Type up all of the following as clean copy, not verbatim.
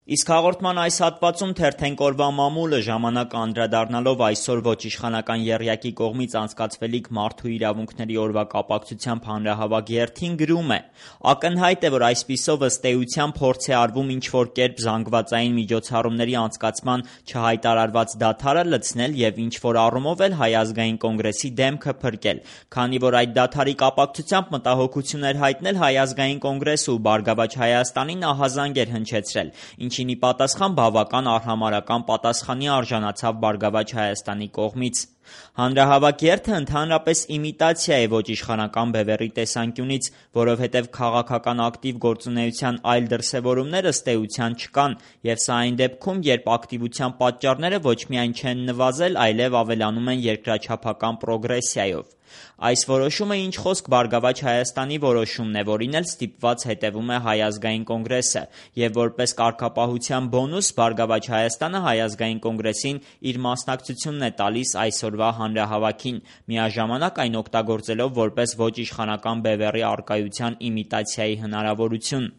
Իսկ հաղորդման այս հատվածում թերթենք օրվա մամուլը ժամանակ անդրադառնալով այսօր ոչ իշխանական եռյակի կողմից անցկացվելիք մարդու իրավունքների օրվա կապակցությամբ հանրահավաք երթին գրում է. ակնհայտ է, որ այսպիսով ըստ էության փորձ է արվում ինչ-որ կերպ զանգվածային միջոցառումների անցկացման չհայտարարված դադարը լցնել և ինչ-որ առումով էլ Հայ ազգային կոնգրեսի դեմքը փրկել, քանի որ այդ դադարի կապակցությամբ մտահոգություն էր հայտնել Հայ ազգային կոնգրեսը ու Բարգավաճ Հայաստանին ահազանգ էր հնչեցրել, ինչին ի պատասխան բավական արհամարհական պատասխանի արժանացավ Բարգավաճ Հայաստանի կողմից։ Հանրահավաք երթը ընդհանրապես իմիտացիա է ոչ իշխանական բևեռի տեսանկյունից, որովհետև քաղաքական ակտիվ գործունեության այլ դրսևորումներ ըստ էության չկան, և սա այն դեպքում, երբ ակտիվության պատճառները ոչ միայն չեն նվազել, այլև ավելանում են երկրաչափական պրոգրեսիայով։ Այս որոշումը ինչ խոսք Բարգավաճ Հայաստանի որոշումն է, որին էլ ստիպված հետևում է Հայ ազգային կոնգրեսը, և որպես կարգապահության բոնուս Բարգավաճ Հայաստանը Հայ ազգային կոնգրեսին իր մասնակցությունն է տալիս այսօրվա հանրահավաքին, միաժամանակ այն օգտագործելով որպես ոչ իշխանական բևեռի առկայության իմիտացիայի հնարավորություն։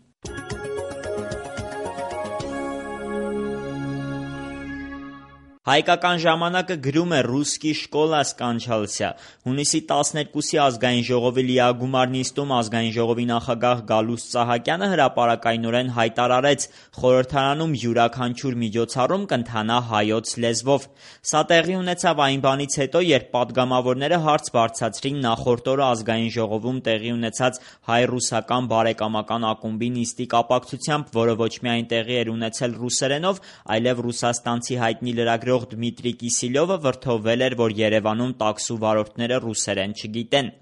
Հայկական ժամանակը գրում է «Ռուսկի շկոլա սկանչալься»։ Հունիսի 12-ի ազգային ժողովի լիագումար նիստում ազգային ժողովի նախագահ Գալուստ Սահակյանը հրապարակայնորեն հայտարարեց՝ խորհրդարանում յուրաքանչյուր միջոցառում կընթանա հայոց լեզվով։ Սա տեղի ունեցավ այն բանից հետո, երբ պատգամավորները հարց բարձրացրին նախորդ օրը ազգային ժողովում տեղի ունեցած հայ-ռուսական բարեկամական ակումբի նիստի կապակցությամբ, որը ոչ միայն տեղի էր ունեցել ռուսերենով, այլև ռուսաստանցի հայտնի լրագրող Դմիտրի Կիսիլյովը վրդովվել էր, որ Երևանում տաքսու վարորդները ռուսերեն չգիտեն։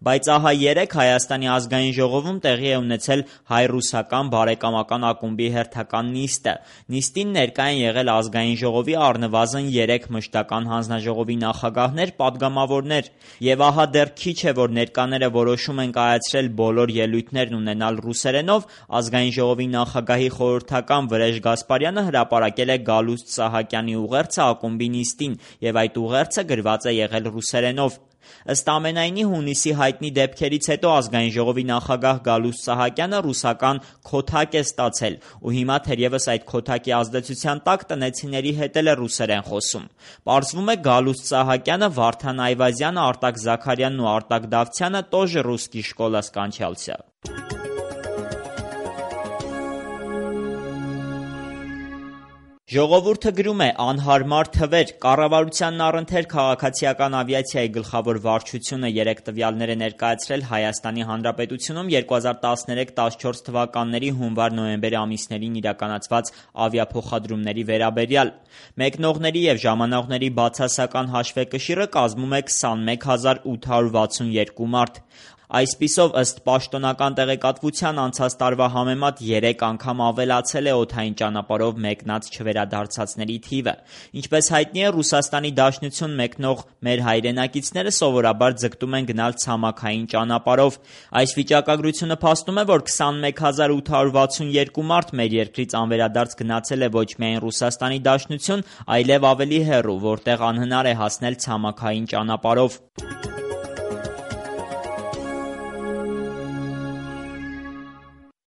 Բայց ահա երեկ Հայաստանի ազգային ժողովում տեղի է ունեցել հայ-ռուսական բարեկամական ակումբի հերթական նիստը։ Նիստին ներկա են եղել ազգային ժողովի առնվազն 3 մշտական հանձնաժողովի նախագահներ, պատգամավորներ։ Եվ ահա դեռ քիչ է, որ ներկաները որոշում են կայացրել բոլոր ելույթներն ունենալ ռուսերենով, ազգային ժողովի նախագահի խորհրդական Վրեժ Գասպարյանը հրապարակել է Գալուստ Սահակյանի ուղերձը ակումբի նիստին, և այդ ուղերձը գրված է եղել ռուսերենով։ Ըստ ամենայնի, հունիսի հայտնի դեպքերից հետո ազգային ժողովի նախագահ Գալուստ Սահակյանը ռուսական քոթակ է ստացել, ու հիմա թերևս այդ քոթակի ազդեցության տակ տնեցիների հետ էլ է ռուսերեն խոսում։ Պարզվում է Գալուստ Սահակյանը, Վարդան Այվազյանը, Արտակ Զաքարյանն ու Արտակ Դավթյանը тоже «Ռուսկի շկոլա սկանչալься»։ Ժողովուրդը գրում է. անհարմար թվեր, կառավարությանն առընթեր քաղաքացիական ավիացիայի գլխավոր վարչությունը երեք տվյալներ է ներկայացրել Հայաստանի Հանրապետությունում 2013-14 թվականների հունվար-նոյեմբեր ամիսներին իրականացված ավիափոխադրումների վերաբերյալ։ Մեկնողների և ժամանողների բացասական հաշվեկշիռը կազմում է 21862 մարդ։ Այսպիսով, ըստ պաշտոնական տեղեկատվության, անցած տարվա համեմատ 3 անգամ ավելացել է օդային ճանապարհով մեկնած չվերադարձածների թիվը։ Ինչպես հայտնի է, Ռուսաստանի Դաշնություն մեկնող մեր հայրենակիցները սովորաբար ձգտում են գնալ ցամաքային ճանապարհով։ Այս վիճակագրությունը փաստում է, որ 21862 մարդ մեր երկրից անվերադարձ գնացել է ոչ միայն Ռուսաստանի Դաշնություն, այլև ավելի հեռու, որտեղ անհնար է հասնել ցամաքային ճանապարհով։